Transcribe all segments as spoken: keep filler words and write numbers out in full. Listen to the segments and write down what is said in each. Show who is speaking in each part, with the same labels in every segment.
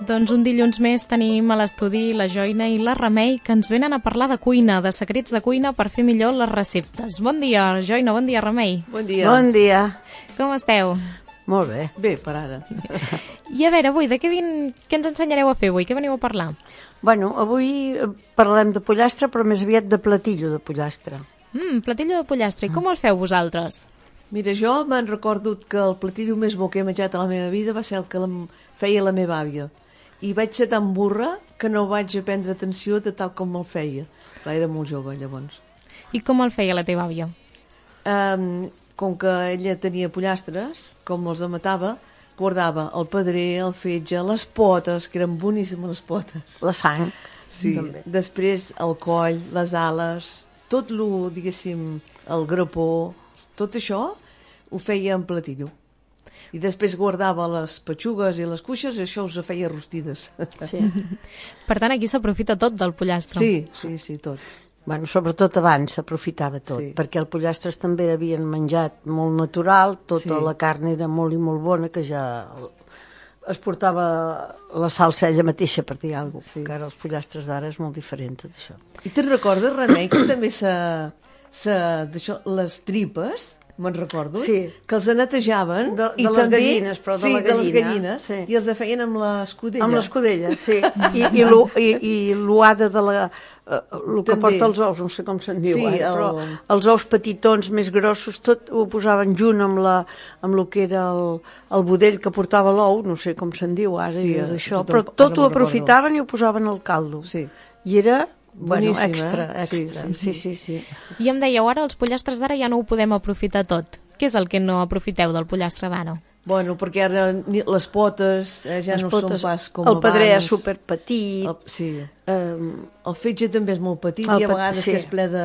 Speaker 1: Doncs un dilluns més tenim a l'estudi la Joina i la Remei, que ens venen a parlar de cuina, de secrets de cuina per fer millor les receptes. Bon dia, Joina, bon dia, Remei.
Speaker 2: Bon dia.
Speaker 3: Bon dia.
Speaker 1: Com esteu?
Speaker 3: Molt bé.
Speaker 2: Bé, per ara.
Speaker 1: I a veure, avui, de què, vin... què ens ensenyareu a fer avui? Què veniu a parlar?
Speaker 3: Bueno, avui parlem de pollastre, però més aviat de platillo de pollastre.
Speaker 1: Mm, platillo de pollastre. I com el feu vosaltres?
Speaker 2: Mira, jo me'n recordo que el platillo més bo que he menjat a la meva vida va ser el que la... feia la meva àvia. I vaig ser tan burra que no vaig prendre atenció de tal com el feia. Clar, era molt jove, llavors.
Speaker 1: I com el feia la teva àvia?
Speaker 2: Um, com que ella tenia pollastres, com els amatava, guardava el pedrer, el fetge, les potes, que eren boníssimes les potes.
Speaker 3: La sang.
Speaker 2: Sí.
Speaker 3: També.
Speaker 2: Després el coll, les ales, tot lo, diguéssim, el grapó, tot això ho feia en platillo. I després guardava les petxugues i les cuixes i això us feia rostides.
Speaker 3: Sí.
Speaker 1: Per tant, aquí s'aprofita tot del pollastre.
Speaker 2: Sí, sí, sí, tot.
Speaker 3: Bueno, sobretot abans s'aprofitava tot,
Speaker 2: Sí.
Speaker 3: perquè els pollastres també havien menjat molt natural, tota
Speaker 2: Sí.
Speaker 3: la carn era molt i molt bona, que ja es portava la salsa ella mateixa, per dir alguna cosa,
Speaker 2: Sí.
Speaker 3: que ara els pollastres d'ara és molt diferent, tot això.
Speaker 2: I te'n recordes, Remei, que també se, se, d'això, les tripes, me'n recordo,
Speaker 3: Sí.
Speaker 2: que els netejaven.
Speaker 3: De- de
Speaker 2: i
Speaker 3: les
Speaker 2: també,
Speaker 3: gallines, però de
Speaker 2: sí,
Speaker 3: la
Speaker 2: de les
Speaker 3: gallina,
Speaker 2: gallines,
Speaker 3: sí.
Speaker 2: i els feien amb l'escudella.
Speaker 3: Amb l'escudella, sí. I, i, l'u- i, i l'uada de la... Eh, el que
Speaker 2: També.
Speaker 3: porta els ous, no sé com se'n diu
Speaker 2: Sí,
Speaker 3: ara, però
Speaker 2: el-
Speaker 3: els ous petitons més grossos, tot ho posaven junt amb, la, amb el que era el, el budell que portava l'ou, no sé com se'n diu ara,
Speaker 2: Sí,
Speaker 3: i és això,
Speaker 2: tot
Speaker 3: però
Speaker 2: em-
Speaker 3: tot
Speaker 2: ara
Speaker 3: ho
Speaker 2: me'n recordo.
Speaker 3: aprofitaven i ho posaven al caldo.
Speaker 2: Sí.
Speaker 3: I era, bueno,
Speaker 2: Boníssim,
Speaker 3: extra,
Speaker 2: eh? Sí,
Speaker 3: extra.
Speaker 2: sí,
Speaker 3: Sí,
Speaker 2: sí.
Speaker 3: sí, sí.
Speaker 1: I em dèieu, ara els pollastres d'ara ja no ho podem aprofitar tot. Què és el que no aprofiteu del pollastre d'ara?
Speaker 2: Bueno, perquè ara ni- les potes eh, ja
Speaker 3: Les
Speaker 2: no
Speaker 3: potes,
Speaker 2: són pas com
Speaker 3: el pedrer
Speaker 2: abans.
Speaker 3: és superpetit,
Speaker 2: El, sí.
Speaker 3: eh,
Speaker 2: El fetge també és molt petit
Speaker 3: El
Speaker 2: i a
Speaker 3: pe-
Speaker 2: vegades
Speaker 3: sí.
Speaker 2: que és ple de,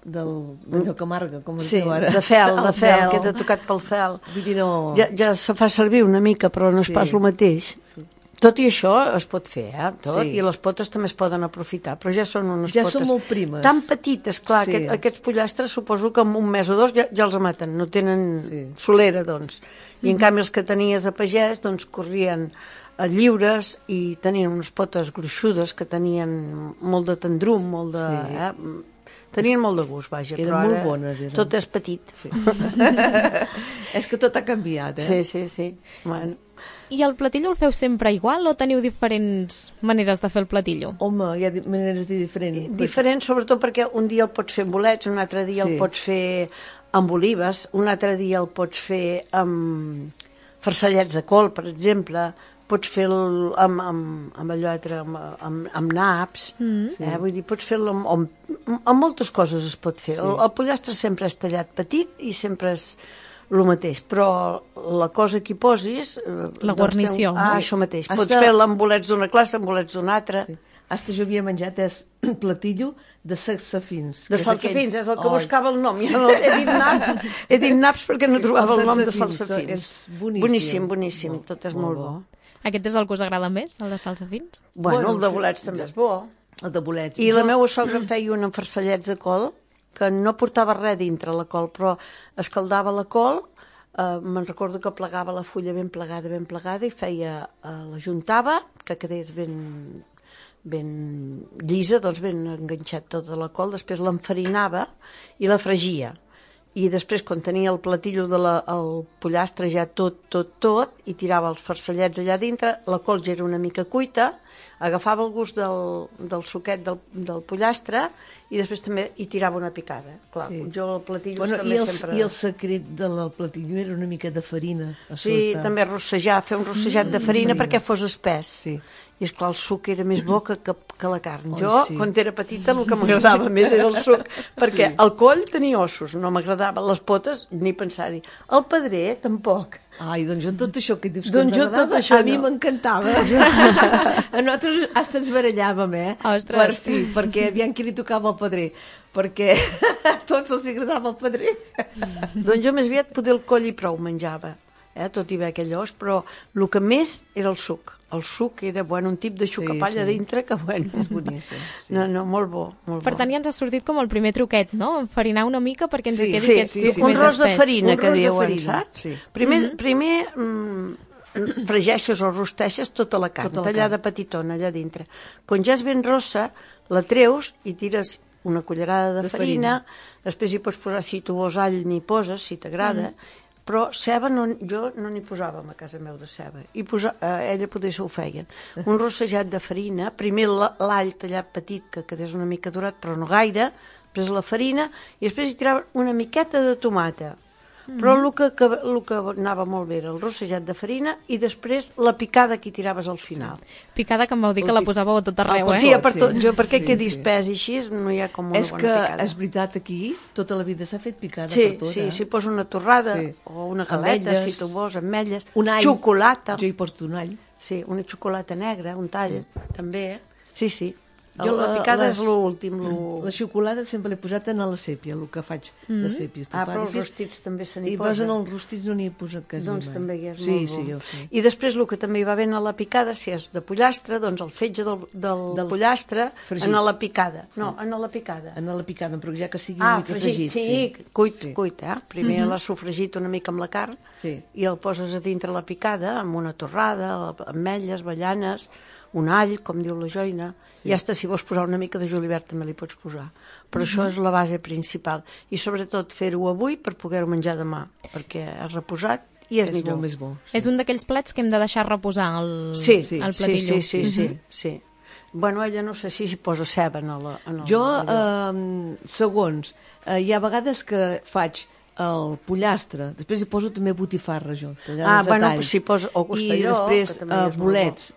Speaker 2: del, d'allò que amarga, com es
Speaker 3: sí,
Speaker 2: diu ara.
Speaker 3: de fel, de
Speaker 2: El
Speaker 3: fel, queda tocat pel fel.
Speaker 2: Vull dir, no...
Speaker 3: Ja, ja se fa servir una mica, però no és
Speaker 2: Sí.
Speaker 3: pas el mateix.
Speaker 2: Sí.
Speaker 3: Tot i això es pot fer, eh? Tot,
Speaker 2: Sí.
Speaker 3: i les potes també es poden aprofitar, però ja són unes
Speaker 2: Ja
Speaker 3: potes
Speaker 2: són molt primes.
Speaker 3: tan petites, clar,
Speaker 2: Sí.
Speaker 3: sí. aquest, aquests pollastres suposo que en un mes o dos ja, ja els maten, no tenen
Speaker 2: Sí.
Speaker 3: solera, doncs. I en canvi els que tenies a pagès, doncs corrien a lliures i tenien unes potes gruixudes que tenien molt de tendrum, molt de...
Speaker 2: Sí.
Speaker 3: Eh? Tenien molt de gust, vaja,
Speaker 2: Eren
Speaker 3: però ara
Speaker 2: molt bones, eren.
Speaker 3: tot és petit.
Speaker 2: Sí. És que tot ha canviat, eh?
Speaker 3: Sí, sí, sí. Bueno.
Speaker 1: I el platillo el feu sempre igual o teniu diferents maneres de fer el platillo?
Speaker 2: Home, hi ha di- maneres de diferents.
Speaker 3: Diferent, sobretot perquè un dia el pots fer amb bolets, un altre dia
Speaker 2: Sí.
Speaker 3: el pots fer amb olives, un altre dia el pots fer amb farcellets de col, per exemple, pots fer-lo amb, amb, amb allò altre, amb, amb, amb naps, mm.
Speaker 2: Sí.
Speaker 3: eh? Vull dir, pots fer-lo amb, amb, amb moltes coses es pot fer.
Speaker 2: Sí.
Speaker 3: El, el pollastre sempre és tallat petit i sempre és el mateix, però la cosa que hi posis... eh,
Speaker 1: La
Speaker 3: doncs
Speaker 1: guarnició.
Speaker 3: Té un... Ah,
Speaker 2: Sí.
Speaker 3: això mateix.
Speaker 2: Hasta-
Speaker 3: Pots fer-la amb bolets d'una classe, amb bolets d'una altra.
Speaker 2: Sí. Hasta jo havia menjat és platillo de salsafins.
Speaker 3: De
Speaker 2: que és
Speaker 3: salsafins,
Speaker 2: aquell-
Speaker 3: és el que
Speaker 2: Ai,
Speaker 3: buscava el nom. Ja no, he dit naps, he dit naps perquè no trobava el,
Speaker 2: Els
Speaker 3: nom de
Speaker 2: salsafins,
Speaker 3: salsafins.
Speaker 2: és boníssim.
Speaker 3: Boníssim, boníssim,
Speaker 2: Molt,
Speaker 3: tot és
Speaker 2: molt
Speaker 3: molt
Speaker 2: bo.
Speaker 3: bo.
Speaker 1: Aquest és el que us agrada més, el de salsafins?
Speaker 3: Bueno,
Speaker 2: Bueno,
Speaker 3: el de
Speaker 2: sí,
Speaker 3: bolets també és bo.
Speaker 2: El de bolets.
Speaker 3: I la
Speaker 2: Jo-
Speaker 3: meva sogra em feia un amb farcellets de col que no portava res dintre la col, però escaldava la col, eh, me'n recordo que plegava la fulla ben plegada, ben plegada, i feia, eh, la juntava, que quedés ben, ben llisa, doncs ben enganxat tota la col, després l'enfarinava i la fregia. I després, quan tenia el platillo del pollastre ja tot, tot, tot, i tirava els farcellets allà dintre, la col ja era una mica cuita, agafava el gust del, del suquet del, del pollastre i després també hi tirava una picada. Clar,
Speaker 2: Sí.
Speaker 3: jo el platillo
Speaker 2: Bueno,
Speaker 3: també
Speaker 2: i, el,
Speaker 3: sempre...
Speaker 2: I el secret del platillo era una mica de farina a
Speaker 3: Sí,
Speaker 2: sota.
Speaker 3: també rossejar, fer un rossejat de farina
Speaker 2: farina.
Speaker 3: perquè fos espès.
Speaker 2: Sí.
Speaker 3: I esclar, el suc era més bo que, que, que la carn.
Speaker 2: Ai,
Speaker 3: Jo,
Speaker 2: sí.
Speaker 3: quan era petita, el que m'agradava més era el suc, perquè
Speaker 2: Sí.
Speaker 3: el coll tenia ossos, no m'agradava. Les potes, ni pensar-hi. El pedrer, tampoc.
Speaker 2: Ai, doncs jo tot això que dius
Speaker 3: Doncs
Speaker 2: que
Speaker 3: jo
Speaker 2: m'agradava,
Speaker 3: tot això
Speaker 2: a mi
Speaker 3: no.
Speaker 2: m'encantava. A nosaltres hasta ens barallàvem, eh?
Speaker 1: Ostres.
Speaker 2: Per sí, perquè aviam qui li tocava el pedrer. Perquè a tots els agradava el pedrer.
Speaker 3: Doncs jo més aviat poder el coll i prou menjava, eh? Tot i bé aquell os, però el que més era el suc. El suc era, bueno, un tip de suc
Speaker 2: Sí,
Speaker 3: a palla
Speaker 2: sí.
Speaker 3: dintre que, bueno...
Speaker 2: És boníssim. Sí.
Speaker 3: No, no, molt bo, molt
Speaker 1: Per
Speaker 3: bo.
Speaker 1: tant, ja ens ha sortit com el primer truquet, no? Enfarinar una mica perquè ens
Speaker 2: Sí,
Speaker 1: quedi
Speaker 3: Sí,
Speaker 1: aquest
Speaker 3: sí,
Speaker 1: suc
Speaker 3: sí, un
Speaker 1: més
Speaker 3: ros de
Speaker 1: espès.
Speaker 3: farina,
Speaker 2: Un
Speaker 3: que
Speaker 2: ros de
Speaker 3: diuen,
Speaker 2: farina,
Speaker 3: saps?
Speaker 2: sí.
Speaker 3: Primer, primer mm, fregeixes o rosteixes tota la carn,
Speaker 2: Tota la
Speaker 3: tallada petitona allà dintre. Quan ja és ben rossa, la treus i tires una cullerada de,
Speaker 2: De
Speaker 3: farina,
Speaker 2: farina.
Speaker 3: després hi pots posar, si tu vols all, n'hi poses, si t'agrada, mm. però ceba no, jo no n'hi posàvem a casa meu de ceba. I posa, eh, ella potser s'ho feien. Un rossejat de farina, primer l'all tallat petit, que quedés una mica durat, però no gaire, després la farina, i després hi tiraven una miqueta de tomata. Però el que, que, el que anava molt bé era el rossejat de farina i després la picada que hi tiraves al final.
Speaker 1: Sí. Picada que em vau dir que la posàveu a tot arreu, eh?
Speaker 3: Sí, per tot.
Speaker 2: Sí.
Speaker 3: Jo, perquè
Speaker 2: Sí,
Speaker 3: quedi
Speaker 2: sí.
Speaker 3: espès i així, no hi ha com una
Speaker 2: És
Speaker 3: bona
Speaker 2: que,
Speaker 3: picada.
Speaker 2: és veritat, aquí tota la vida s'ha fet picada
Speaker 3: Sí,
Speaker 2: per tot,
Speaker 3: sí,
Speaker 2: eh?
Speaker 3: si posa una torrada
Speaker 2: Sí.
Speaker 3: o una galeta,
Speaker 2: Ametlles.
Speaker 3: si tu vols, ametlles,
Speaker 2: Un all.
Speaker 3: xocolata.
Speaker 2: Jo hi poso un all.
Speaker 3: Sí, una xocolata negra, un tall, també. eh? Sí, sí.
Speaker 2: Jo
Speaker 3: la, la
Speaker 2: la-
Speaker 3: picada
Speaker 2: les-
Speaker 3: és l'últim. Lo...
Speaker 2: La xocolata sempre l'he posat en la sèpia, el que faig de sèpia.
Speaker 3: Ah, però els rostits també se n'hi
Speaker 2: I
Speaker 3: posa.
Speaker 2: posen els rostits no n'hi he posat quasi
Speaker 3: Doncs
Speaker 2: mai.
Speaker 3: també hi és
Speaker 2: sí,
Speaker 3: molt bo.
Speaker 2: Sí, jo ho sé.
Speaker 3: I després el que també hi va bé a la picada, si és de pollastre, doncs el fetge del, del,
Speaker 2: Del
Speaker 3: pollastre
Speaker 2: fregit.
Speaker 3: en la picada. No, en la picada.
Speaker 2: En la picada, però ja que sigui
Speaker 3: Ah,
Speaker 2: una mica
Speaker 3: fregit,
Speaker 2: fregit.
Speaker 3: sí, cuit,
Speaker 2: Sí.
Speaker 3: cuit, eh? Primer l'has sofregit una mica amb la carn
Speaker 2: Sí.
Speaker 3: i el poses a dintre la picada amb una torrada, ametlles, avellanes, un all, com diu la Joina, sí. I hasta si vols posar una mica de julivert també li pots posar. Però això és la base principal. I sobretot fer-ho avui per poder-ho menjar demà, perquè has reposat i és,
Speaker 2: És
Speaker 3: millor.
Speaker 2: molt més bo.
Speaker 1: Sí. És un d'aquells plats que hem de deixar reposar el,
Speaker 3: Sí,
Speaker 1: el
Speaker 3: sí,
Speaker 1: platillo.
Speaker 3: sí, sí, sí, sí, sí. Bueno, ella no sé si s'hi posa ceba en el... En el
Speaker 2: Jo,
Speaker 3: allò.
Speaker 2: eh, segons, eh, hi ha vegades que faig el pollastre, després hi poso també botifarra, jo, tallades
Speaker 3: Ah,
Speaker 2: a
Speaker 3: bueno,
Speaker 2: talls.
Speaker 3: si posa- o costelló,
Speaker 2: I després
Speaker 3: que també
Speaker 2: eh,
Speaker 3: és molt
Speaker 2: bolets.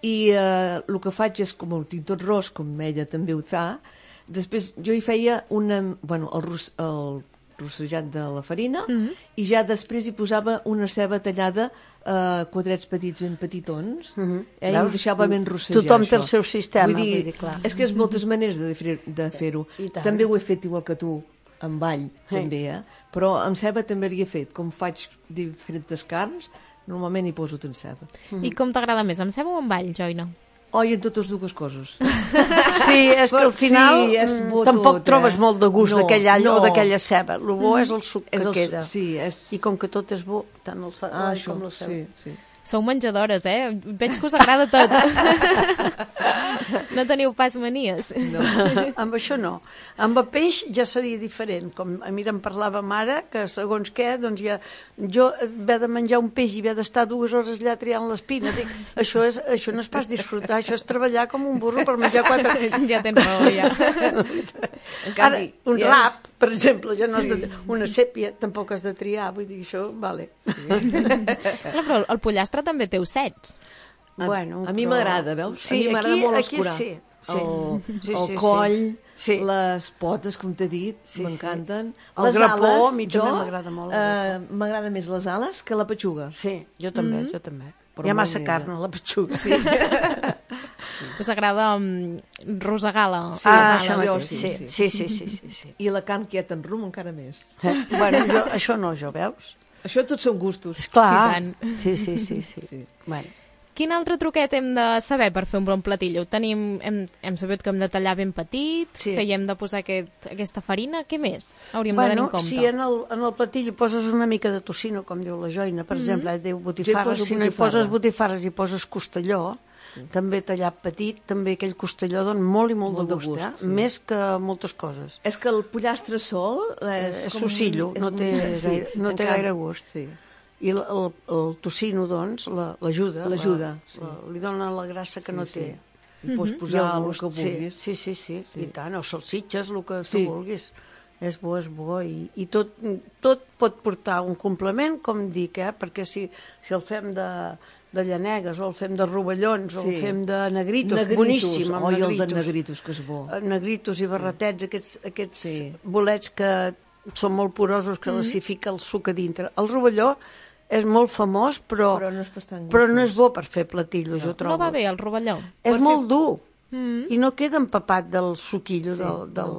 Speaker 2: I eh, el que faig és, com ho tinc tot ros, com ella també ho fa, després jo hi feia una, bueno, el, ros, el rossejat de la farina,
Speaker 1: Mm-hmm.
Speaker 2: i ja després hi posava una ceba tallada a quadrets petits, ben petitons,
Speaker 3: Mhm.
Speaker 2: eh, i
Speaker 3: Veus?
Speaker 2: ho deixava ben rossejar.
Speaker 3: Tothom té el
Speaker 2: això.
Speaker 3: seu sistema,
Speaker 2: Vull dir,
Speaker 3: vull dir, clar.
Speaker 2: és que és moltes maneres de fer- de fer-ho.
Speaker 3: I tant.
Speaker 2: També ho he fet igual que tu, amb all,
Speaker 3: Sí.
Speaker 2: també, eh? Però amb ceba també l'hi he fet. Com faig diferents carns, normalment hi poso tot ceba.
Speaker 1: I com t'agrada més, amb ceba o amb all, Joina?
Speaker 2: Oh, i en totes dues coses.
Speaker 3: Sí, és que al
Speaker 2: Sí,
Speaker 3: final
Speaker 2: és
Speaker 3: mm,
Speaker 2: bo
Speaker 3: tampoc
Speaker 2: tot,
Speaker 3: trobes
Speaker 2: eh?
Speaker 3: molt de gust
Speaker 2: No,
Speaker 3: d'aquell all
Speaker 2: no.
Speaker 3: o d'aquella ceba. El bo és el suc
Speaker 2: És
Speaker 3: que
Speaker 2: el su-
Speaker 3: queda.
Speaker 2: sí, és-
Speaker 3: I com que tot és bo, tant el sa-
Speaker 2: Ah,
Speaker 3: l'all
Speaker 2: això,
Speaker 3: com la ceba.
Speaker 2: sí, sí.
Speaker 1: Sou menjadores, eh? Veig que us agrada tot. No teniu pas manies.
Speaker 2: No.
Speaker 3: Amb això no. Amb el peix ja seria diferent. Com a mi em parlava mare, que segons què, doncs ja... Jo haver de menjar un peix i haver d'estar dues hores allà triant l'espina, dic, això, és, això no és pas disfrutar, això és treballar com un burro per menjar quatre...
Speaker 1: Ja tens raó, ja.
Speaker 2: En
Speaker 3: Ara,
Speaker 2: canvi,
Speaker 3: un
Speaker 2: ja és-
Speaker 3: rap, per exemple, ja no has de, una sèpia tampoc has de triar, vull dir, això, vale.
Speaker 1: Clar, però el pollastre també té ossets.
Speaker 2: A,
Speaker 3: Bueno,
Speaker 2: a mi
Speaker 3: però-
Speaker 2: m'agrada, veus?
Speaker 3: Sí,
Speaker 2: a mi m'agrada
Speaker 3: aquí-
Speaker 2: molt
Speaker 3: aquí
Speaker 2: escurar.
Speaker 3: sí, sí.
Speaker 2: El,
Speaker 3: Sí,
Speaker 2: el
Speaker 3: sí, sí.
Speaker 2: coll,
Speaker 3: Sí.
Speaker 2: les potes, com t'he dit,
Speaker 3: Sí,
Speaker 2: m'encanten.
Speaker 3: El
Speaker 2: Les
Speaker 3: grapó,
Speaker 2: ales,
Speaker 3: a mi també m'agrada molt el
Speaker 2: eh, m'agrada més les ales que la petxuga.
Speaker 3: Sí, jo també, jo també.
Speaker 2: Però
Speaker 3: Hi ha
Speaker 2: molt
Speaker 3: massa
Speaker 2: més,
Speaker 3: carn
Speaker 2: eh?
Speaker 3: a la petxuga. Sí.
Speaker 1: Us agrada um, rosegar la,
Speaker 2: Sí,
Speaker 3: ah,
Speaker 1: les
Speaker 3: això
Speaker 1: ales.
Speaker 2: jo
Speaker 3: mateix,
Speaker 2: sí,
Speaker 3: sí,
Speaker 2: sí.
Speaker 3: sí, sí, sí, sí, sí.
Speaker 2: I la carn quieta en rum encara més.
Speaker 3: Eh? Bueno, jo, això no, jo, veus?
Speaker 2: Això tots són gustos.
Speaker 3: Esclar.
Speaker 1: Sí, tant.
Speaker 3: Sí, sí, sí, sí.
Speaker 2: Sí.
Speaker 3: Bueno.
Speaker 1: Quin altre truquet hem de saber per fer un bon platillo? Tenim, hem, hem sabut que hem de tallar ben petit,
Speaker 3: Sí.
Speaker 1: que hi hem de posar aquest, aquesta farina. Què més hauríem de tenir
Speaker 3: Bueno,
Speaker 1: en compte?
Speaker 3: si en el, en el platillo poses una mica de tocino, com diu la Joina, per exemple, eh, diu botifarres,
Speaker 2: poso
Speaker 3: si no hi
Speaker 2: botifarra.
Speaker 3: poses botifarres i poses costelló, sí. també tallat petit, també aquell costelló dona molt i molt,
Speaker 2: Molt
Speaker 3: de
Speaker 2: de
Speaker 3: gust,
Speaker 2: gust,
Speaker 3: eh?
Speaker 2: sí.
Speaker 3: Més que moltes coses.
Speaker 2: És que el pollastre sol és,
Speaker 3: És
Speaker 2: com...
Speaker 3: sossillo,
Speaker 2: és
Speaker 3: no té
Speaker 2: molt-
Speaker 3: gaire- no
Speaker 2: en
Speaker 3: té
Speaker 2: canvi-
Speaker 3: gaire gust.
Speaker 2: Sí.
Speaker 3: I el, el, el tocino, doncs, la- l'ajuda.
Speaker 2: L'ajuda,
Speaker 3: la,
Speaker 2: sí.
Speaker 3: la, li dona la grassa que
Speaker 2: Sí,
Speaker 3: no
Speaker 2: sí.
Speaker 3: té.
Speaker 2: I pots
Speaker 3: I
Speaker 2: posar
Speaker 3: el
Speaker 2: el
Speaker 3: gust,
Speaker 2: que vulguis.
Speaker 3: Sí, sí, sí, sí,
Speaker 2: Sí.
Speaker 3: i tant, o salsitxes, el que
Speaker 2: Sí.
Speaker 3: tu vulguis. És bo, és bo, i, i tot, tot pot portar un complement, com dic, eh? Perquè si, si el fem de, de llanegues, o el fem de rovellons, o
Speaker 2: Sí.
Speaker 3: el fem de negritos,
Speaker 2: Negritos.
Speaker 3: boníssim, amb
Speaker 2: Oi, el de
Speaker 3: negritos.
Speaker 2: negritos, que és bo.
Speaker 3: Eh, negritos i barretets, aquests, aquests
Speaker 2: Sí.
Speaker 3: bolets que són molt porosos, que mm-hmm. els hi fica el suc a dintre. El rovelló és molt famós, però,
Speaker 2: Però no és bastant
Speaker 3: però no
Speaker 2: gustós.
Speaker 3: és bo per fer platillos, jo trobo.
Speaker 1: No va bé el rovelló.
Speaker 3: És
Speaker 2: Per
Speaker 3: molt dur
Speaker 1: Mm.
Speaker 3: i no queda empapat del suquillo,
Speaker 2: Sí,
Speaker 3: del, del,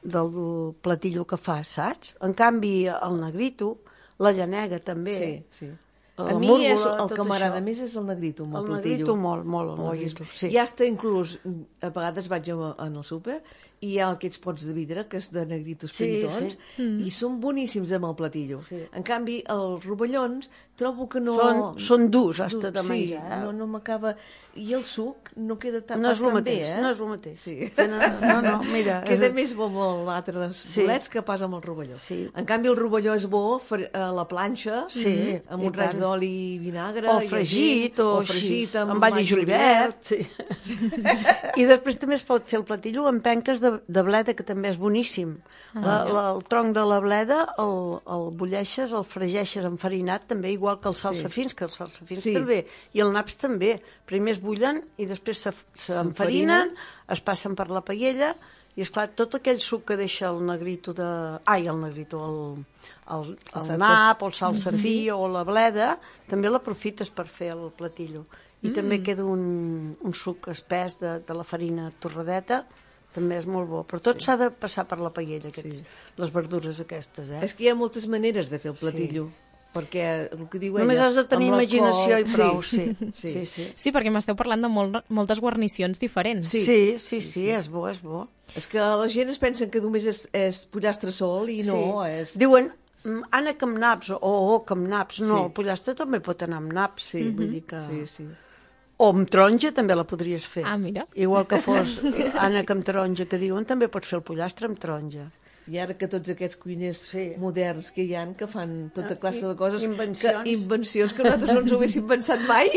Speaker 3: del platillo que fa, saps? En canvi, el negrito, la llanega també,
Speaker 2: Sí, sí. A mi
Speaker 3: múrgola,
Speaker 2: és, el
Speaker 3: tot
Speaker 2: que m'agrada
Speaker 3: això.
Speaker 2: més és el negrito, amb el,
Speaker 3: El
Speaker 2: platillo.
Speaker 3: negrito molt, molt, el
Speaker 2: Oi,
Speaker 3: negrito, sí.
Speaker 2: I hasta inclús, a vegades vaig a- en el súper i hi ha aquests pots de vidre que és de negritos
Speaker 3: Sí,
Speaker 2: petitons
Speaker 3: sí.
Speaker 2: i són boníssims amb el platillo.
Speaker 3: Sí.
Speaker 2: En canvi, els rovellons trobo que no...
Speaker 3: Són, són durs, hasta de
Speaker 2: sí,
Speaker 3: menjar. Eh?
Speaker 2: no, no m'acaba... I el suc no queda tan,
Speaker 3: No és el
Speaker 2: tan
Speaker 3: mateix,
Speaker 2: bé, eh?
Speaker 3: no és el mateix.
Speaker 2: Sí.
Speaker 3: No, no, no, mira...
Speaker 2: Queda
Speaker 3: és-
Speaker 2: més bo amb els altres
Speaker 3: Sí.
Speaker 2: bolets que pas amb el rovelló.
Speaker 3: Sí.
Speaker 2: En canvi, el rovelló és bo fre- a la planxa,
Speaker 3: Sí,
Speaker 2: amb
Speaker 3: i
Speaker 2: un raig
Speaker 3: tant.
Speaker 2: d'oli i vinagre.
Speaker 3: O
Speaker 2: i
Speaker 3: fregit,
Speaker 2: així,
Speaker 3: o,
Speaker 2: o fregit
Speaker 3: així,
Speaker 2: amb,
Speaker 3: amb all i julivert. Sí. I després també es pot fer el platillo amb penques de, de bleda, que també és boníssim.
Speaker 2: Ah,
Speaker 3: La, la, el tronc de la bleda el, el bulleixes, el fregeixes enfarinat, també igual que els salsafins, que els salsafins
Speaker 2: Sí.
Speaker 3: també, i el naps també. Primer es bullen i després s'enfarinen, es passen per la paella, i esclar, tot aquell suc que deixa el negrito de... Ai, el negrito, el, el, el,
Speaker 2: salsa-
Speaker 3: el nap, o el salsafí, o la bleda, també l'aprofites per fer el platillo. I mm. també queda un, un suc espès de, de la farina torradeta, també és molt bo. Però tot s'ha de passar per la paella, aquests,
Speaker 2: Sí.
Speaker 3: les verdures aquestes, eh?
Speaker 2: És que hi ha moltes maneres de fer el platillo. Perquè el que diu ella...
Speaker 3: Només has de tenir
Speaker 2: amb la
Speaker 3: imaginació
Speaker 2: col-
Speaker 3: i prou, sí.
Speaker 2: Sí,
Speaker 3: Sí, sí. sí.
Speaker 1: Sí, perquè m'esteu parlant de molt, moltes guarnicions diferents.
Speaker 3: Sí, sí, sí, sí, és bo, és bo.
Speaker 2: És que la gent es pensa que només és, és pollastre sol i no,
Speaker 3: sí.
Speaker 2: és...
Speaker 3: Diuen, mm, Anna amb naps, o oh, amb naps. No,
Speaker 2: Sí.
Speaker 3: el pollastre també pot anar amb naps.
Speaker 2: Sí,
Speaker 3: vull dir que...
Speaker 2: sí, sí.
Speaker 3: O amb taronja també la podries fer.
Speaker 1: Ah, mira.
Speaker 3: Igual que fos Anna amb taronja, que diuen, també pots fer el pollastre amb taronja.
Speaker 2: I ara que tots aquests cuiners
Speaker 3: Sí.
Speaker 2: moderns que hi ha, que fan tota classe de coses...
Speaker 3: Invencions.
Speaker 2: Que, invencions que nosaltres no ens ho haguéssim pensat mai.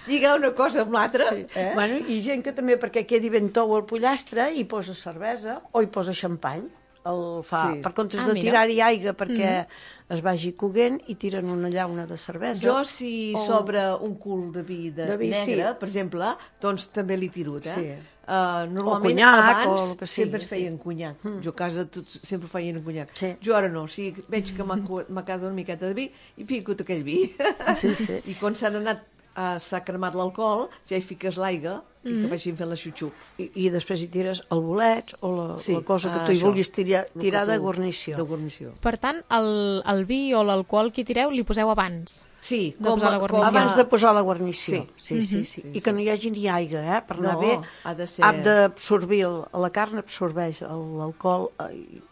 Speaker 2: Lligar una cosa amb l'altra.
Speaker 3: Sí.
Speaker 2: Eh?
Speaker 3: Bueno, i gent que també, perquè quedi ben tou el pollastre, hi posa cervesa o hi posa xampany. El fa,
Speaker 2: Sí.
Speaker 3: per comptes
Speaker 1: Ah,
Speaker 3: de
Speaker 1: mira.
Speaker 3: tirar-hi aigua perquè es vagi coguent, i tiren una llauna de cervesa.
Speaker 2: Jo, si
Speaker 3: o-
Speaker 2: sobra un cul de vi de,
Speaker 3: De vi,
Speaker 2: negre,
Speaker 3: sí.
Speaker 2: per exemple, doncs també l'he tirut, eh?
Speaker 3: Sí.
Speaker 2: Uh, normalment,
Speaker 3: conyac,
Speaker 2: abans,
Speaker 3: o el que sigui,
Speaker 2: sempre es
Speaker 3: sí.
Speaker 2: feien conyac. Mm. Jo a casa tots sempre feien conyac.
Speaker 3: Sí.
Speaker 2: Jo ara no, o sigui, veig que m'ha co- m'ha quedat una miqueta de vi i pico aquell vi.
Speaker 3: Sí, sí.
Speaker 2: I quan s'han anat, uh, s'ha cremat l'alcohol, ja hi fiques l'aigua i que vagin fent la xuxup.
Speaker 3: I, I després hi tires el bolet o la,
Speaker 2: Sí,
Speaker 3: la cosa que
Speaker 2: ah,
Speaker 3: tu hi
Speaker 2: això.
Speaker 3: vulguis tirar,
Speaker 2: El
Speaker 3: tirar
Speaker 2: que
Speaker 3: de
Speaker 2: tu-
Speaker 3: guarnició.
Speaker 2: De guarnició.
Speaker 1: Per tant, el, el vi o l'alcohol que hi tireu li poseu abans.
Speaker 2: Sí,
Speaker 1: De posar la
Speaker 2: com
Speaker 1: guarnició.
Speaker 3: Abans de posar la guarnició.
Speaker 2: Sí.
Speaker 3: Sí, sí, sí.
Speaker 2: Sí,
Speaker 3: I que no hi hagi ni aigua, eh? Per anar
Speaker 2: No,
Speaker 3: bé,
Speaker 2: ha de ser-
Speaker 3: ha d'absorbir, el- la carn absorbeix el- l'alcohol eh, i,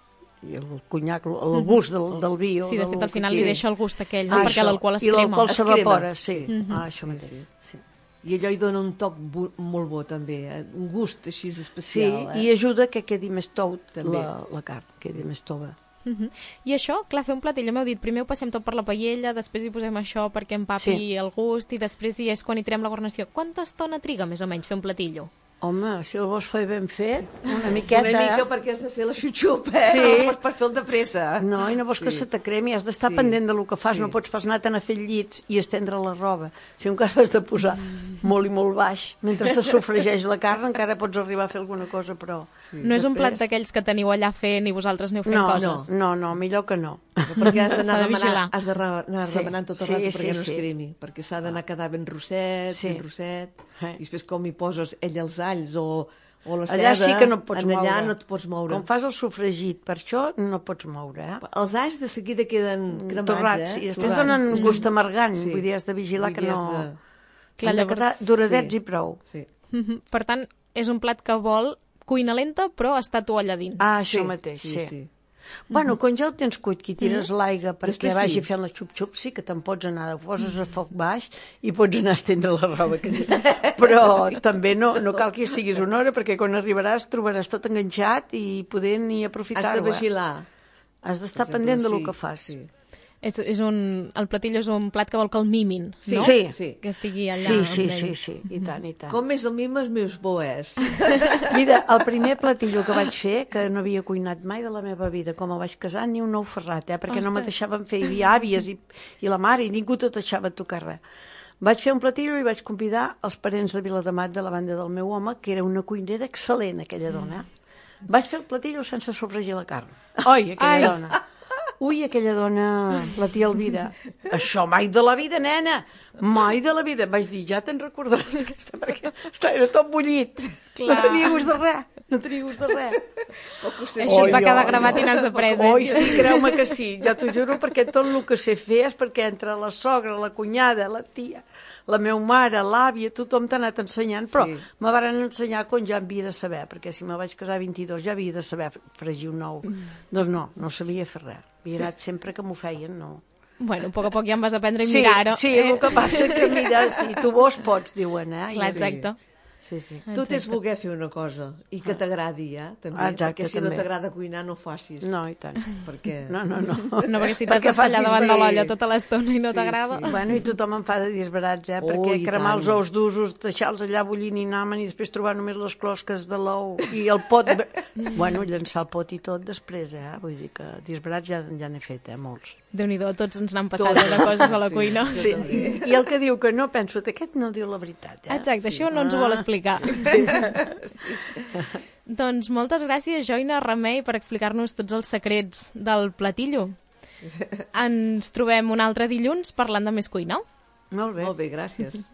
Speaker 3: i el conyac, el gust del, del vi. o
Speaker 1: Sí, de
Speaker 3: del
Speaker 1: fet, al
Speaker 3: que
Speaker 1: final li
Speaker 3: sigui.
Speaker 1: deixa el gust aquell,
Speaker 3: Ah,
Speaker 1: no? perquè
Speaker 3: això.
Speaker 1: l'alcohol es
Speaker 3: I
Speaker 1: crema.
Speaker 3: l'alcohol
Speaker 2: Es crema,
Speaker 3: s'evapora, sí.
Speaker 2: sí.
Speaker 3: Ah, això mateix.
Speaker 2: sí.
Speaker 3: Sí.
Speaker 2: I allò hi dona un toc bu molt bo, també. Eh? Un gust així
Speaker 3: Sí,
Speaker 2: especial. eh?
Speaker 3: i ajuda que quedi més tou
Speaker 2: També.
Speaker 3: la, la carn, quedi sí. més tova.
Speaker 1: Uh -huh. I això, clar, fer un platell, m'heu dit, primer ho passem tot per la paella, després hi posem això perquè empapi
Speaker 3: Sí.
Speaker 1: el gust, i després hi és quan hi tirem la guarnició. Quanta estona triga, més o menys, fer un platillo?
Speaker 3: Home, si el vols fer ben fet, una miqueta...
Speaker 2: Una mica perquè has de fer la xuxup, eh?
Speaker 3: Sí.
Speaker 2: No pots per fer el de pressa.
Speaker 3: No, i no vols
Speaker 2: Sí.
Speaker 3: que se t'acremi, has d'estar
Speaker 2: Sí.
Speaker 3: pendent del que fas,
Speaker 2: Sí.
Speaker 3: no pots pas anar a fer llits i estendre la roba. Si un cas has de posar molt i molt baix, mentre se sofregeix la carn, encara pots arribar a fer alguna cosa, però...
Speaker 2: Sí.
Speaker 1: No és un plat
Speaker 3: Després-
Speaker 1: d'aquells que teniu allà fent i vosaltres aneu fent
Speaker 3: No,
Speaker 1: coses.
Speaker 3: no, no, millor que no.
Speaker 2: Perquè has d'anar
Speaker 1: S'ha de vigilar.
Speaker 2: remenant, has de re- anar
Speaker 3: Sí.
Speaker 2: remenant tot el
Speaker 3: Sí,
Speaker 2: rato
Speaker 3: sí,
Speaker 2: perquè no es
Speaker 3: sí.
Speaker 2: cremi, perquè s'ha d'anar quedar ben rosset,
Speaker 3: Sí.
Speaker 2: ben rosset,
Speaker 3: Sí.
Speaker 2: i després com hi poses ell els alls o, o la
Speaker 3: Allà
Speaker 2: ceba,
Speaker 3: sí que no et pots
Speaker 2: en
Speaker 3: moure.
Speaker 2: allà no et pots moure.
Speaker 3: Com fas el sofregit, per això no pots moure, eh?
Speaker 2: Els alls de seguida queden cremats,
Speaker 3: Torrats,
Speaker 2: eh?
Speaker 3: i després
Speaker 2: Torrats.
Speaker 3: donen gust amargant,
Speaker 2: Sí.
Speaker 3: vull dir, has de vigilar
Speaker 2: Vull
Speaker 3: que
Speaker 2: dir,
Speaker 3: no...
Speaker 2: has de-
Speaker 1: Clar,
Speaker 3: Han de
Speaker 1: llavors-
Speaker 3: quedar duradets
Speaker 2: sí.
Speaker 3: i prou.
Speaker 2: Sí.
Speaker 1: Uh -huh. Per tant, és un plat que vol cuina lenta, però està tu allà dins.
Speaker 3: Ah, això
Speaker 2: Sí,
Speaker 3: mateix, sí.
Speaker 2: sí, sí.
Speaker 3: Bueno, quan ja ho tens cuit, que hi tires l'aigua perquè
Speaker 2: Després
Speaker 3: vagi
Speaker 2: sí.
Speaker 3: fent la xup-xup, sí que te'n pots anar, ho poses a foc baix i pots anar a estendre la roba. Que... Però sí. també no, no cal que hi estiguis una hora, perquè quan arribaràs trobaràs tot enganxat i poder ni aprofitar-ho.
Speaker 2: Has de
Speaker 3: eh?
Speaker 2: vigilar.
Speaker 3: Has d'estar
Speaker 2: Per exemple,
Speaker 3: pendent de lo
Speaker 2: sí,
Speaker 3: que fas.
Speaker 2: Sí.
Speaker 1: És, és un, el platillo és un plat que vol que el mimin,
Speaker 2: Sí,
Speaker 1: no?
Speaker 3: sí.
Speaker 2: sí.
Speaker 1: Que estigui allà.
Speaker 3: Sí, sí,
Speaker 1: amb
Speaker 3: sí,
Speaker 1: ell.
Speaker 3: sí, i tant, i tant.
Speaker 2: Com més el mimes, més bo és.
Speaker 3: Mira, el primer platillo que vaig fer, que no havia cuinat mai de la meva vida, com a vaig casar, ni un nou ferrat, eh? perquè no me
Speaker 1: Ostres.
Speaker 3: deixaven fer, hi havia àvies i, i la mare, i ningú te deixava tocar res. Vaig fer un platillo i vaig convidar els parents de Viladamat, de la banda del meu home, que era una cuinera excel·lent, aquella dona. Vaig fer el platillo sense sofregir la carn. Oi, aquella
Speaker 1: Ai.
Speaker 3: dona. ui, aquella dona, la tia Elvira, això mai de la vida, nena, mai de la vida. Vaig dir, ja te'n recordaràs d'aquesta, perquè esclar, era tot bullit. Clar. No tenia gust de res, no tenia gust de res.
Speaker 1: Això et va quedar gravat i n'has après, eh?
Speaker 3: Oi, sí, creu-me que sí, ja t'ho juro, perquè tot el que sé fer és perquè entre la sogra, la cunyada, la tia, la meva mare, l'àvia, tothom t'ha anat ensenyant, però sí. Me van ensenyar quan ja havia de saber, perquè si me vaig casar a vint-i-dos ja havia de saber fregir un ou. Mm. Doncs no, no sabia fer res. Havia anat sempre que m'ho feien, no.
Speaker 1: Bueno, a poc a poc ja em vas aprendre a
Speaker 3: sí,
Speaker 1: mirar-ho.
Speaker 3: Sí, eh? El que passa és que mira, si tu vos pots, diuen, eh?
Speaker 1: Clar, exacte.
Speaker 3: Sí, sí.
Speaker 2: Tot és voler fer una cosa i que t'agradi, ja, també. Exacte, perquè si també. No t'agrada cuinar, no facis.
Speaker 3: No, i tant.
Speaker 2: Perquè...
Speaker 3: No, no, no.
Speaker 1: No, perquè si t'has d'estar allà davant de l'olla tota l'estona i no sí, t'agrada...
Speaker 3: Sí. Bueno, i tothom em fa de disbarats, eh? Oh, perquè cremar els ous d'usos, deixar-los allà bullint i namen i després trobar només les closques de l'ou i el pot... Bueno, llançar el pot i tot després, eh? Vull dir que disbarats ja, ja n'he fet, eh? Molts.
Speaker 1: Déu-n'hi-do, tots ens n'han passat de coses a la
Speaker 2: sí,
Speaker 1: cuina.
Speaker 3: Sí. I el que diu que no, penso, aquest no diu la veritat, eh?
Speaker 1: Exacte,
Speaker 3: sí.
Speaker 1: Això no ens ho vol explicar. Sí. Doncs moltes gràcies, Joina Remei, per explicar-nos tots els secrets del platillo. Ens trobem un altre dilluns parlant de més cuina.
Speaker 3: Molt bé.
Speaker 2: Molt bé, gràcies.